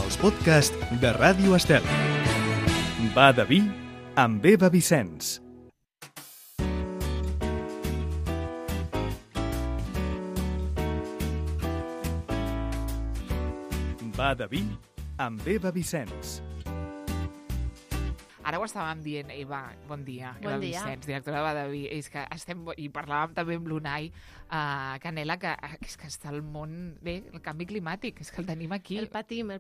els podcasts de Ràdio Estel. Va de vi amb Eva Vicenç. Va de vi amb Eva Vicenç. Ara ho estàvem dient, Eva, bon dia. Bon Eva dia. Vicenç, directora de Badaví. És que i parlàvem també amb l'Unai Canela, que és que està el món... Bé, el canvi climàtic, és que el tenim aquí. El patim.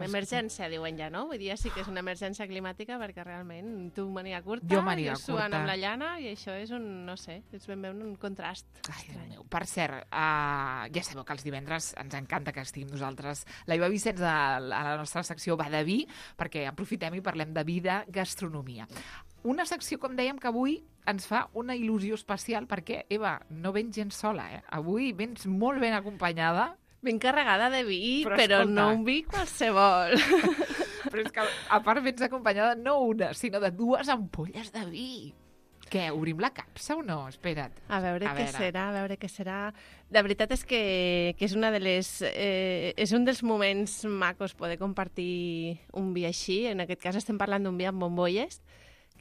Emergència, diuen ja, no? Vull dir, sí que és una emergència climàtica perquè realment tu màniga curta, Jo màniga suant curta. amb la llana i això és un, no sé, és ben bé un contrast. Ai, Déu meu. Per cert, ja sabeu que els divendres ens encanta que estiguem nosaltres, la Eva Vicenç a la nostra secció Badaví, perquè aprofitem i parlem de vida, gastronomia. Una secció, com dèiem, que avui ens fa una il·lusió especial perquè, Eva, no vens gens sola, eh? Avui vens molt ben acompanyada. Ben carregada de vi, Però però escolta. no un vi qualsevol. Però és que, a part, vens acompanyada no una, sinó de 2 ampolles de vi. Què, obrim la capsa o no? Espera't. A veure què serà. La veritat és que és una de les... és un dels moments macos poder compartir un vi així. En aquest cas estem parlant d'un vi amb bombolles,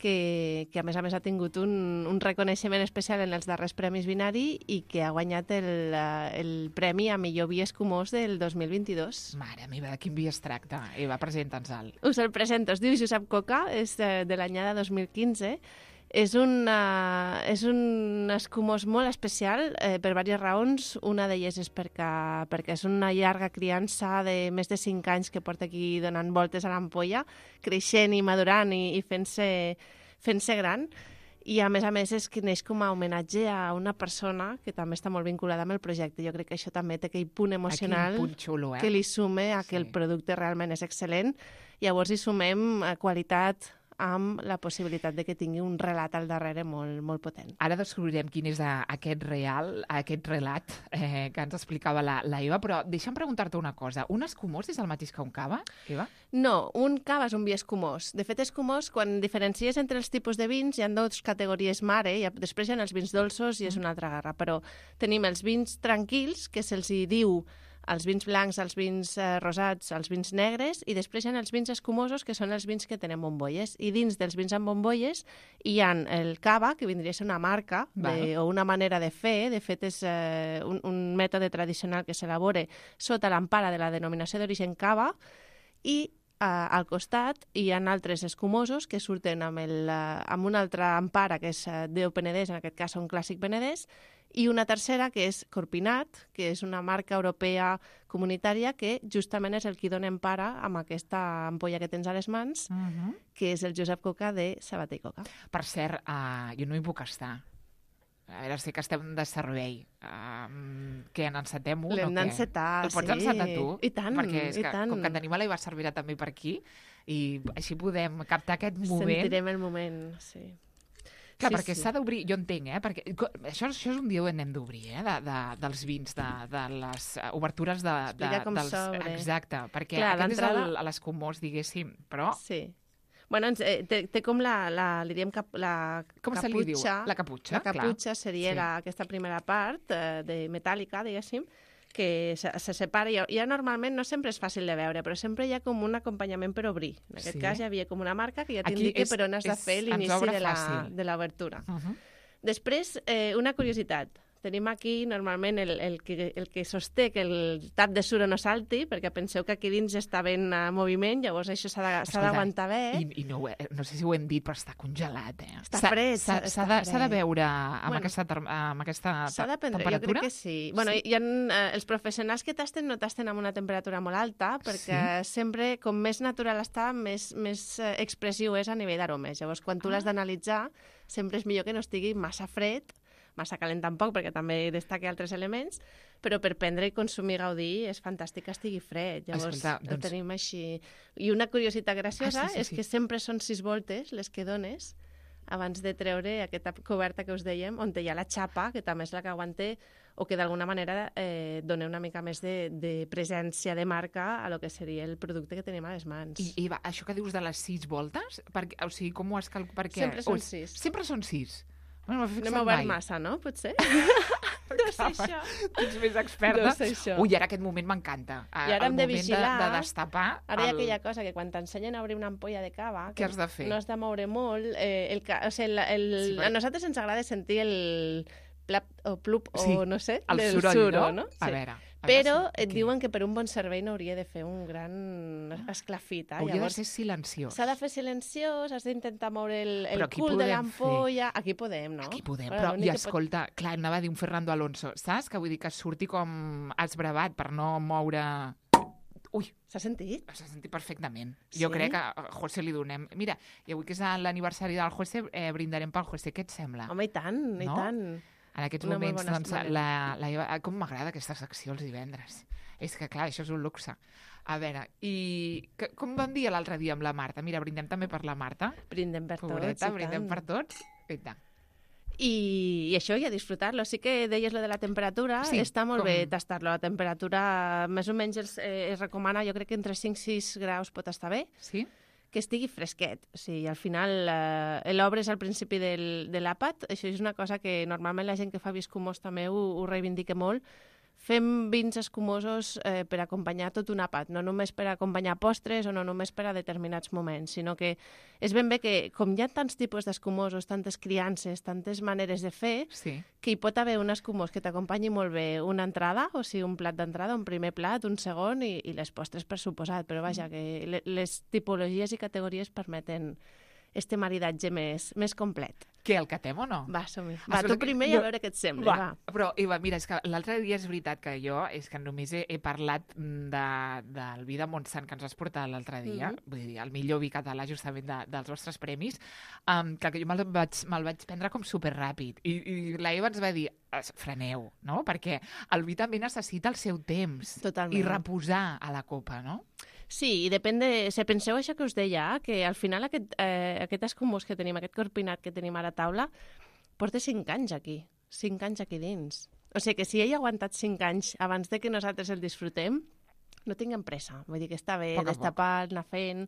que a més ha tingut un reconeixement especial en els darrers Premis Vinari i que ha guanyat el premi a millor vi escumós del 2022. Mare meva, de quin vi es tracta? Eva, presenta'ns-el. Us el presento. Es diu Josep Coca, és de l'anyada 2015. És un escumós molt especial per diverses raons. Una d'elles és perquè és una llarga criança de més de 5 anys que porta aquí donant voltes a l'ampolla, creixent i madurant i fent-se gran. I a més és que neix com a homenatge a una persona que també està molt vinculada amb el projecte. Jo crec que això també té aquell punt emocional punt xulo, que li sume a que el producte realment és excel·lent. Llavors hi sumem qualitat amb la possibilitat de que tingui un relat al darrere molt potent. Ara descobrirem quin és aquest relat que ens explicava la Eva, però deixa'm preguntar-te una cosa. Un escumós és el mateix que un cava, Eva? No, un cava és un vi escumós. De fet, escumós, quan diferencies entre els tipus de vins, hi ha 2 categories mare, i després hi ha els vins dolços i és una altra guerra, però tenim els vins tranquils, que se'ls diu els vins blancs, els vins rosats, els vins negres, i després hi ha els vins escumosos, que són els vins que tenen bombolles. I dins dels vins amb bombolles hi ha el cava, que vindria a ser una marca o una manera de fer. De fet, és un mètode tradicional que s'elabora sota l'empara de la denominació d'origen cava, i al costat hi ha altres escumosos que surten amb una altra empara, que és Déu Penedès, en aquest cas un clàssic penedès, i una tercera, que és Corpinat, que és una marca europea comunitària que justament és el qui dona empara amb aquesta ampolla que tens a les mans, que és el Josep Coca de Sabater i Coca. Per cert, jo no hi puc estar. A veure, sé que estem de servei. Què, n'encetem un o què? L'hem d'encetar, El pots encetar tu? I tant, Perquè és i que, tant. com que tenim a l'Eva Cervera també per aquí, i així podem captar aquest moment. Sentirem el moment, sí. Clar, perquè s'ha d'obrir, jo entenc, perquè això és un dia ho hem d'obrir, dels vins, de les obertures Explica com s'obre. Exacte, perquè clar, aquest és l'escumós, diguéssim, però... Sí. Bueno, té com li diem la com caputxa. se li diu? La caputxa, La caputxa clar. seria aquesta primera part de metàl·lica, diguéssim, que se separa. Ja normalment no sempre és fàcil de veure, però sempre hi ha com un acompanyament per obrir. En aquest cas hi havia com una marca que ja t'indica per on has de fer l'inici de l'obertura. Després, una curiositat. Tenim aquí, normalment, el que sosté que el tap de suro no salti, perquè penseu que aquí dins està ben en moviment, llavors això s'ha d'aguantar bé. I no sé si ho hem dit, però està congelat, Està fred. S'ha de veure amb aquesta temperatura? S'ha d'aprendre, jo crec que sí. Bueno, els professionals que tasten no tasten amb una temperatura molt alta, perquè sempre, com més natural està, més expressiu és a nivell d'aromes. Llavors, quan tu l'has d'analitzar, sempre és millor que no estigui massa fred, massa calent tampoc, perquè també destaca altres elements, però per prendre i consumir i gaudir és fantàstic que estigui fred. Llavors, ho tenim així. I una curiositat graciosa és que sempre són 6 voltes les que dones abans de treure aquesta coberta que us dèiem, on hi ha la xapa, que també és la que aguanta o que d'alguna manera dona una mica més de presència de marca a lo que seria el producte que tenim a les mans. I això que dius de les 6 voltes, o sigui, com ho has calculat? Sempre són 6. Sempre són 6. No m'ha obert massa, no? Potser? No sé això. Tu ets més experta. No sé això. Ui, ara aquest moment m'encanta. I ara hem de vigilar. De destapar. Ara hi ha aquella cosa que quan t'ensenyen a obrir una ampolla de cava... Què has de fer? No has de moure molt. A nosaltres ens agrada sentir el plap o plup o no sé, el del soroll, no? A veure. Però et diuen que per un bon servei no hauria de fer un gran esclafit. Hauria de ser silenciós. S'ha de fer silenciós, has d'intentar moure el cul de l'ampolla... Aquí podem, no? Aquí podem, però i escolta, clar, anava a dir un Fernando Alonso, saps? Que vull dir que surti com esbravat per no moure... Ui! S'ha sentit? S'ha sentit perfectament. Sí? Jo crec que a José li donem... Mira, i avui que és l'aniversari del José, brindarem pel José. Què et sembla? Home, i tant, i tant. En aquests moments, doncs, com m'agrada aquesta secció els divendres. És que, clar, això és un luxe. A veure, i com vam dir l'altre dia amb la Marta? Mira, brindem també per la Marta. Brindem per Pobreta, tots, brindem per tots. I tant. I això, i a disfrutar-lo. Sí que deies lo de la temperatura, sí, està molt bé tastar-lo. La temperatura, més o menys, es recomana, jo crec que entre 5 i 6 graus pot estar bé. Sí? Que estigui fresquet. O sigui, al final l'obres al principi de l'àpat. Això és una cosa que normalment la gent que fa vi escumós també ho reivindica molt. Fem vins escumosos per acompanyar tot un àpat, no només per acompanyar postres o no només per a determinats moments, sinó que és ben bé que, com hi ha tants tipus d'escumosos, tantes criances, tantes maneres de fer, sí, que hi pot haver un escumós que t'acompanyi molt bé una entrada, o sigui, un plat d'entrada, un primer plat, un segon i les postres per suposat, però vaja, que les tipologies i categories permeten este maridatge més complet. Què, el catem o no? Va, som-hi. Va, tu primer i a veure què et sembla. Va. Però, Eva, mira, és que l'altre dia és veritat que jo només he parlat del vi de Montsant que ens has portat l'altre dia, vull dir, el millor vi català justament dels vostres premis, que jo me'l vaig prendre com superràpid. I la Eva ens va dir, freneu, no? Perquè el vi també necessita el seu temps. Totalment. I reposar a la copa, no? Sí, i depèn de... Si penseu això que us deia, que al final aquest escumós que tenim, aquest corpinat que tenim a la taula, porta 5 anys aquí. 5 anys aquí dins. O sigui que si ell ha aguantat 5 anys abans de que nosaltres el disfrutem, no tinguem pressa. Vull dir que està bé destapar, anar fent,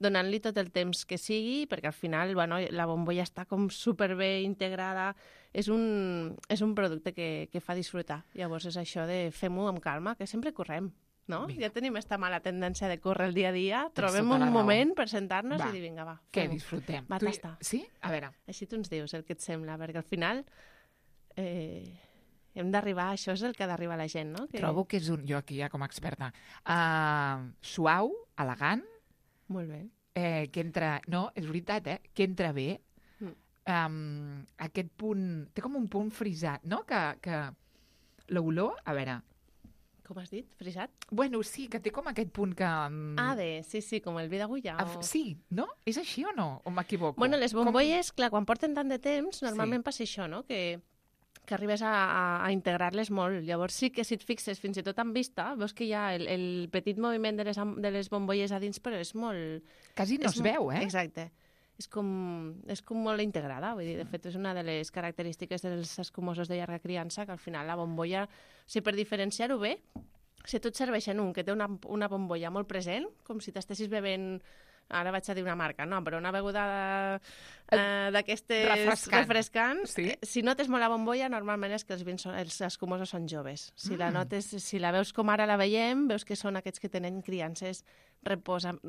donant-li tot el temps que sigui, perquè al final la bombolla està com superbé integrada. És un producte que fa disfrutar. Llavors és això de fem-ho amb calma, que sempre correm. No? Ja tenim esta mala tendència de córrer el dia a dia. Trobem un moment per sentar-nos i dir, vinga, va, que disfrutem. Va, tastar. Sí? A veure. Així tu ens dius el que et sembla, perquè al final hem d'arribar, això és el que ha d'arribar a la gent, no? Trobo que és jo aquí ja com a experta, suau, elegant. Molt bé. Que entra, no, és veritat, que entra bé. Aquest punt, té com un punt frisat, no? Que l'olor, a veure... Com has dit? Frisat? Bueno, sí, que té com aquest punt que... sí, com el vi d'agulla. Sí, no? És així o no? O m'equivoco? Bueno, les bombolles, clar, quan porten tant de temps, normalment passa això, no? Que arribes a integrar-les molt. Llavors sí que si et fixes fins i tot en vista, veus que hi ha el petit moviment de les bombolles a dins, però és molt... Quasi no es veu, eh? Exacte. És com molt integrada, vull dir, de fet és una de les característiques dels escumosos de llarga criança, que al final la bombolla, o sigui, per diferenciar-ho bé, si tu et serveixen un que té una bombolla molt present, com si t'estessis bevent, ara vaig a dir una marca, no, però una beguda d'aquestes refrescants, sí? Si notes molt la bombolla, normalment és que els escumosos són joves. Si la notes, si la veus com ara la veiem, veus que són aquests que tenen criances, reposen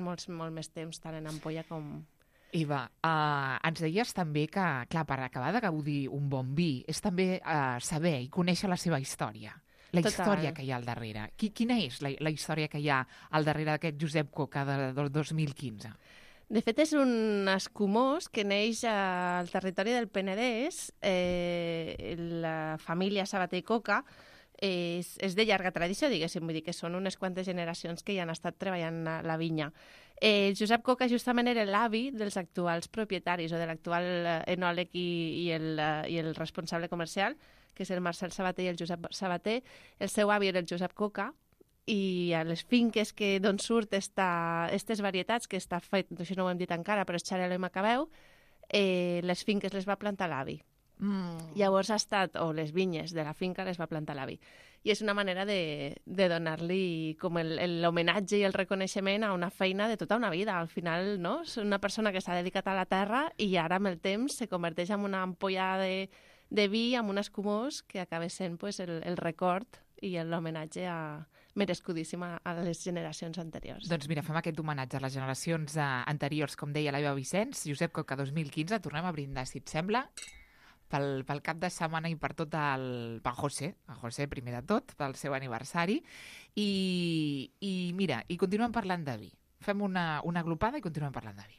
molt més temps, tant en ampolla com... Eva, ens deies també que, clar, per acabar de gaudir un bon vi és també saber i conèixer la seva història. La història que hi ha al darrere. Quina és la història que hi ha al darrere d'aquest Josep Coca del 2015? De fet, és un escumós que neix al territori del Penedès. La família Sabater i Coca és de llarga tradició, diguéssim, vull dir que són unes quantes generacions que hi han estat treballant a la vinya. Josep Coca justament era l'avi dels actuals propietaris o de l'actual enòleg i el responsable comercial, que és el Marcel Sabater i el Josep Sabater. El seu avi era el Josep Coca i a les finques d'on surt aquestes varietats, que està fet, això no ho hem dit encara, però és Xarel·lo i Macabeu, les finques les va plantar l'avi. Llavors o les vinyes de la finca les va plantar l'avi. I és una manera de donar-li com l'homenatge i el reconeixement a una feina de tota una vida. Al final, no? És una persona que s'ha dedicat a la terra i ara amb el temps se converteix en una ampolla de vi amb un escumós que acaba sent pues, el record i l'homenatge merescudíssim a les generacions anteriors. Doncs mira, fem aquest homenatge a les generacions anteriors, com deia l'Eva Vicenç. Josep Coca 2015, tornem a brindar, si et sembla, pel cap de setmana i per tot el José primer de tot, pel seu aniversari. I mira, i continuem parlant de vi. Fem una glopada i continuem parlant de vi.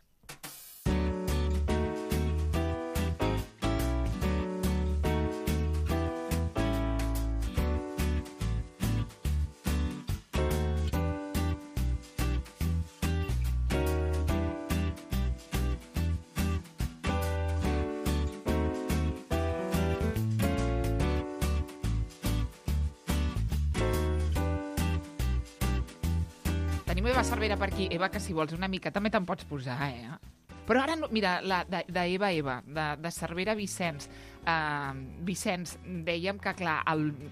Tenim Eva Cervera per aquí. Eva, que si vols una mica també te'n pots posar, Però ara, mira, d'Eva, de Cervera Vicenç. Vicenç, dèiem que, clar,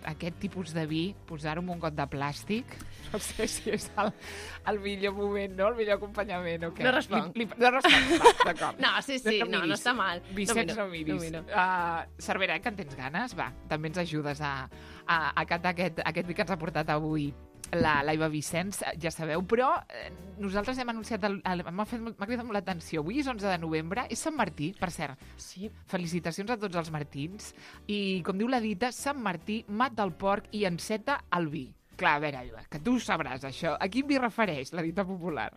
aquest tipus de vi, posar-ho en un got de plàstic, no sé si és el millor moment, no? El millor acompanyament, o què? No responc. No responc, d'acord. No, sí, no està mal. Vicenç, no miris. Cervera, que en tens ganes? Va, també ens ajudes a catar aquest vi que ens ha portat avui l'Eva Vicenç, ja sabeu, però nosaltres hem anunciat, m'ha cridat molt l'atenció, avui és 11 de novembre, és Sant Martí, per cert. Sí. Felicitacions a tots els martins, i com diu la dita, Sant Martí mata el porc i enceta el vi. Clar, a veure, Eva, que tu ho sabràs, això. A quin vi refereix la dita popular?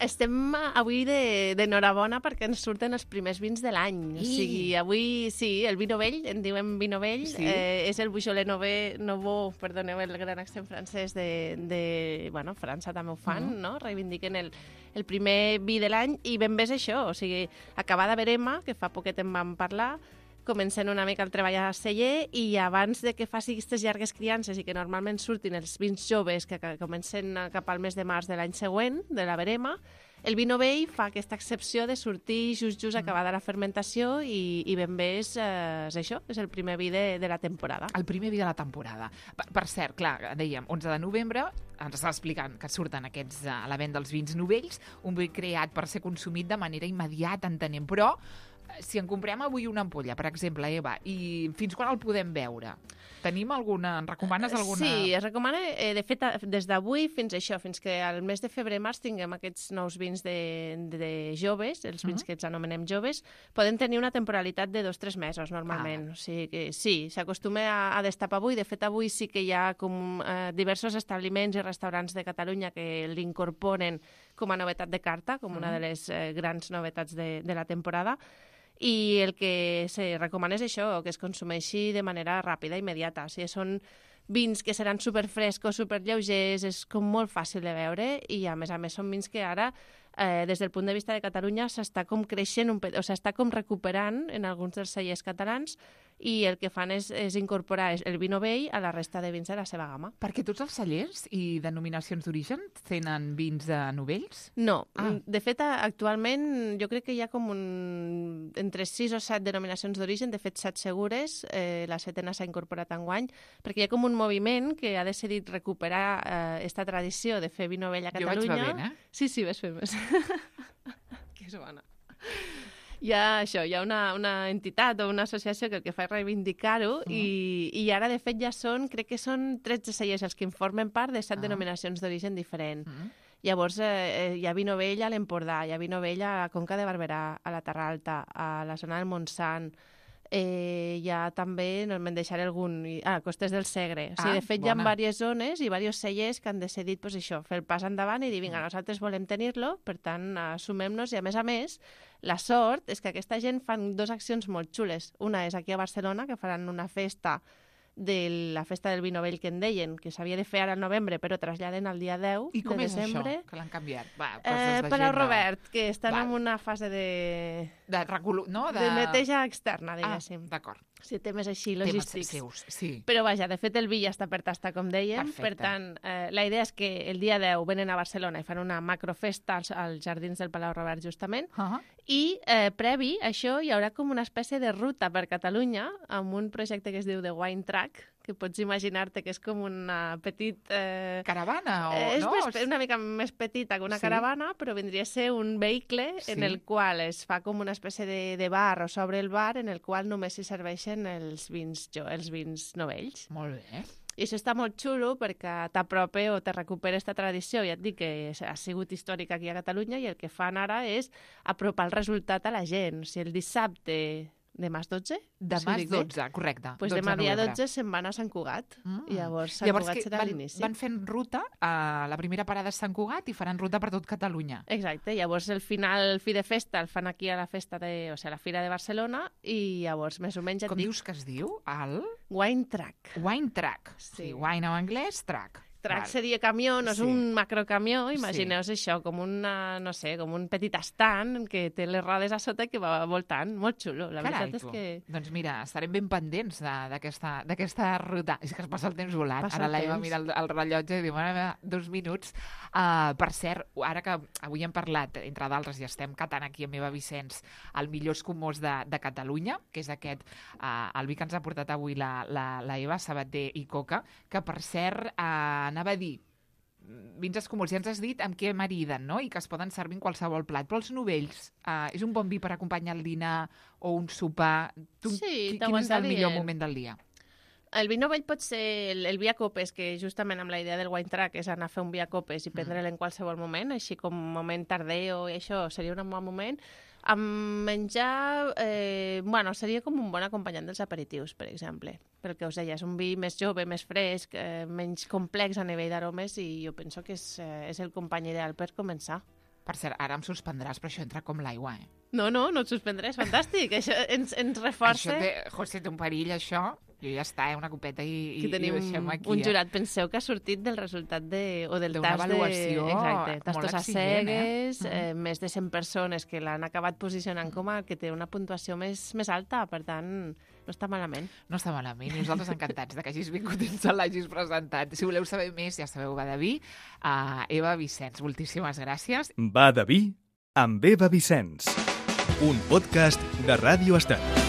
Estem avui d'enhorabona perquè ens surten els primers vins de l'any. O sigui, avui sí, el vi novell, en diuen vi novell, sí. És el Beaujolais Nouveau, perdoneu el gran accent francès bueno, França també ho fan, no? Reivindiquen el primer vi de l'any i ben bé és això, o sigui, acabada verema, que fa poquet en vam parlar, comencen una mica el treball a celler i abans de que faci aquestes llargues criances i que normalment surtin els vins joves que comencen cap al mes de març de l'any següent, de la verema, el vi novell fa aquesta excepció de sortir just acabada la fermentació i ben bé és això, és el primer vi de la temporada. El primer vi de la temporada. Per cert, clar, dèiem, 11 de novembre, ens està explicant que surten aquests a la venda els vins novells, un vi creat per ser consumit de manera immediata, entenem, però si en comprem avui una ampolla, per exemple, Eva, i fins quan el podem veure? Tenim alguna... En recomanes alguna? Sí, es recomana, de fet, des d'avui fins que al mes de febrer-març tinguem aquests nous vins de joves, els vins que els anomenem joves, poden tenir una temporalitat de 2-3 mesos, normalment. O sigui que sí, s'acostuma a destapar avui. De fet, avui sí que hi ha com diversos establiments i restaurants de Catalunya que l'incorporen com a novetat de carta, com una de les grans novetats de la temporada. I el que se recomana és això, que es consumeixi de manera ràpida, immediata. O sigui, són vins que seran superfrescos, superlleugers, és com molt fàcil de veure i, a més, són vins que ara, des del punt de vista de Catalunya, s'està com creixent, s'està com recuperant en alguns dels cellers catalans i el que fan és incorporar el vi novell a la resta de vins de la seva gamma. Perquè tots els cellers i denominacions d'origen tenen vins novells? No. De fet, actualment jo crec que hi ha com entre 6 o 7 denominacions d'origen, de fet 7 segures, la 7ena s'ha incorporat enguany, perquè hi ha com un moviment que ha decidit recuperar esta tradició de fer vi novell a Catalunya. Jo vaig bevent, Sí, ves fent més. Que és bona. Hi ha una entitat o una associació que el que fa és reivindicar-ho i ara, de fet, crec que són 13 cellers els que en formen part de 7 denominacions d'origen diferent. Llavors, hi ha vi novell a l'Empordà, hi ha vi novell a la Conca de Barberà, a la Terra Alta, a la zona del Montsant, hi ha també, no me'n deixaré algun, Costes del Segre. O sigui, de fet, hi ha diverses zones i diversos cellers que han decidit fer el pas endavant i dir, vinga, nosaltres volem tenir-lo, per tant, assumem-nos i, a més, la sort és que aquesta gent fan 2 accions molt xules. Una és aquí a Barcelona, que faran una festa de la festa del vi novell que en deien, que s'havia de fer ara al novembre, però traslladen al dia 10 de desembre. I com és això, que l'han canviat? Palau Robert, que estan en una fase de neteja externa, diguéssim. D'acord. Si temes així logístics. Temes seus, sí. Però vaja, de fet el vi ja està per tastar, com dèiem. Perfecte. Per tant, la idea és que el dia 10 venen a Barcelona i fan una macrofesta als jardins del Palau Robert, justament, i previ a això hi haurà com una espècie de ruta per Catalunya amb un projecte que es diu The Wine Track, que pots imaginar-te que és com una petit... Caravana? És no? una mica més petita que una Sí. caravana, però vindria a ser un vehicle en Sí. el qual es fa com una espècie de bar o s'obre el bar en el qual només s'hi serveixen els vins novells. Molt bé. I això està molt xulo perquè t'apropa o te recupera aquesta tradició. Ja et dic que ha sigut històrica aquí a Catalunya i el que fan ara és apropar el resultat a la gent. O sigui, el dissabte... Demà és 12? Demà és 12, correcte. Doncs 12 demà de dia novembre. 12 se'n van a Sant Cugat. I llavors Sant Llavors Cugat que serà l'inici. van fent ruta, la primera parada és Sant Cugat i faran ruta per tot Catalunya. Exacte, llavors el final, el fi de festa, el fan aquí a la festa o sigui, a la Fira de Barcelona i llavors més o menys et Com dic dius que es diu? El Wine Track. Wine Track. Sí. Wine en anglès, track. Track Val. seria camió, no és Sí. un macrocamió, imagineu-vos això, com una, no sé, com un petit estant que té les rodes a sota i que va voltant, molt xulo. La Carai, veritat és tu. que... Doncs mira, estarem ben pendents d'aquesta ruta. És que es passa el temps volant. Passa Ara el l'Eva temps. mira el rellotge i diu, mare meva, 2 minuts. Per cert, ara que avui hem parlat, entre d'altres, i estem catant aquí amb Eva Vicenç, el millor escumós de Catalunya, que és aquest, el vi que ens ha portat avui la Eva Sabater i Coca, que per cert anava a dir, vins escumols, ja ens has dit amb què mariden, no? I que es poden servir en qualsevol plat. Però els novells, és un bon vi per acompanyar el dinar o un sopar? Sí, Quin és el millor t'aguantarien. moment del dia? El vi novell pot ser el vi a copes, que justament amb la idea del wine track és anar a fer un vi a copes i prendre'l en qualsevol moment, així com moment tardeo i això seria un bon moment. Amb menjar, seria com un bon acompanyant dels aperitius, per exemple. Pel que us deia, és un vi més jove, més fresc, menys complex a nivell d'aromes i jo penso que és el company ideal per començar. Per cert, ara em suspendràs, però això entra com l'aigua, eh? No et suspendré, és fantàstic. Això ens reforça... José, té un perill, això. Jo ja està, una copeta i Aquí tenim ho deixem aquí. un jurat. Penseu que ha sortit del resultat o del D'una tast avaluació Exacte, molt tastos a exigent, cegues, més de 100 persones que l'han acabat posicionant com a que té una puntuació més alta, per tant, no està malament. No està malament. I nosaltres encantats de que hagis vingut i ens l'hagis presentat. Si voleu saber més, ja sabeu, va de vi. Eva Vicenç, moltíssimes gràcies. Va de vi amb Eva Vicenç. Un podcast de Ràdio Estel.